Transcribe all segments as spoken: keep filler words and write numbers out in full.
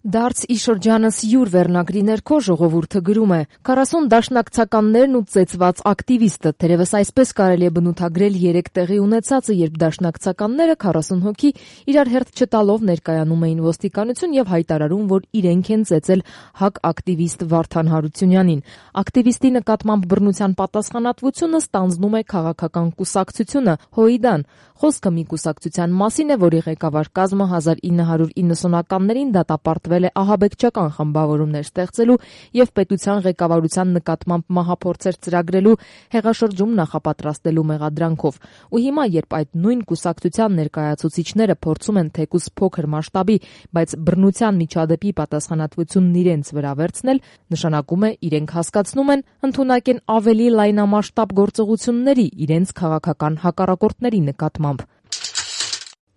Դարձ ի շրջանս յուր վերնագրի ներքո ժողովուրդը գրում է. «քառասուն դաշնակցականներն ու ծեծված ակտիվիստը», թերևս այսպես կարելի է բնութագրել երեք տեղի ունեցածը, երբ դաշնակցականները քառասուն հոգի իրար հերթ չտալով ներկայանում էին ոստիկանություն եւ հայտարարում, որ իրենք են ծեծել ՀԱԿ ակտիվիստ Վարդան Հարությունյանին։ Ակտիվիստի նկատմամբ բռնության պատասխանատվությունը ստանձնում է քաղաքական կուսակցությունը ՀՅԴ-ն։ Խոսքը մի կուսակցության մասին է, որի ղեկավար կազմը հազար ինը հարյուր իննսունականներին դատապարտվել է ահաբեկչական խմբավորումներ ստեղծելու եւ պետության ղեկավարության նկատմամբ մահափորձեր ծրագրելու հեղաշրջում նախապատրաստելու մեղադրանքով։ Ու հիմա, երբ այդ նույն կուսակցության ներկայացուցիչները փորձում են թեկուզ փոքր մասշտաբի, բայց բռնության միջադեպի պատասխանատվությունն իրենց վրա վերցնել, նշանակում է իրենք հասկացնում են, ընդունակ են ավելի լայնամասշտաբ գործողությունների իրենց քաղաքական հակառակորդների նկատմամբ։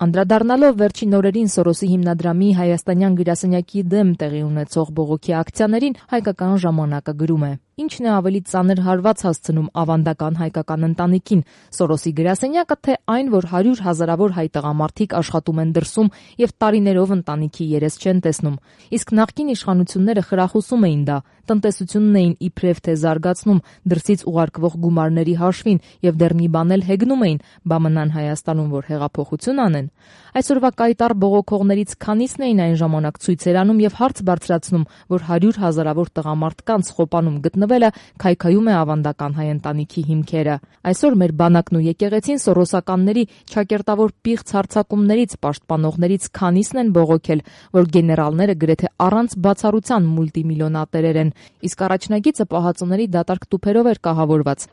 Անդրադառնալով վերջին օրերին Սորոսի հիմնադրամի հայաստանյան գրասենյակի դեմ տեղի ունեցող բողոքի ակցիաներին, Հայկական ժամանակը գրում է. «Ինչն է ավելի ծանր հարված հասցնում ավանդական հայկական ընտանիքին, Սորոսի գրասենյակը, թե այն, որ հարյուր հազարավոր հայ տղամարդիկ աշխատում են դրսում եւ տարիներով ընտանիքի երես չեն տեսնում։ Իսկ նախկին իշխանությունները խրախուսում էին դա, տնտեսությունն էին իբրև թե զարգացնում դրսից ուղարկվող գումարների հաշվին եւ դեռ մի բան էլ հեգնում էին, բա մնան Հայաստանում, որ հեղափոխություն անեն։ Այսօրվա կայտառ բողոքողներից քանիսն էին այն ժամանակ ցույցեր անում եւ հարց բարձրացնում, որ հարյուր հազարավոր տղամարդկանց Խոպանում գտնվելը քայքայում է ավանդական հայ ընտանիքի հիմքերը։ Այսօր մեր բանակն ու եկեղեցին սորոսականների ճակերտավոր պիղծ հարձակումներից պաշտպանողներից քանիսն են բողոքել, որ գեներալները գրեթե առանց բացառության մուլտիմիլիոնատերեր են, իսկ առաջնագիծը պահածոների դատարկ տուփերով էր կահավորված»։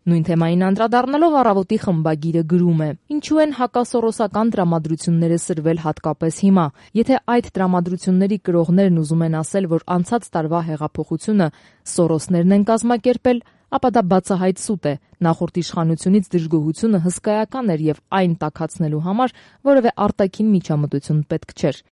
Նույն թեմային անդրադառնալով Առավոտի խմբագիրը գրում է. «Ինչու են հակասորոսական տրամադրությունները սրվել հատկապես հիմա։ Եթե այդ տրամադրությունների կրողներն ուզում են ասել, որ անցած տարվա հեղափոխությունը սորոսներն են կազմակերպել, ապա դա բացահայտ սուտ է։ Նախորդ իշխանությունից դժգոհությունը հսկայական էր եւ այն տաքացնելու համար որևէ արտաքին միջամտություն պետք չէր։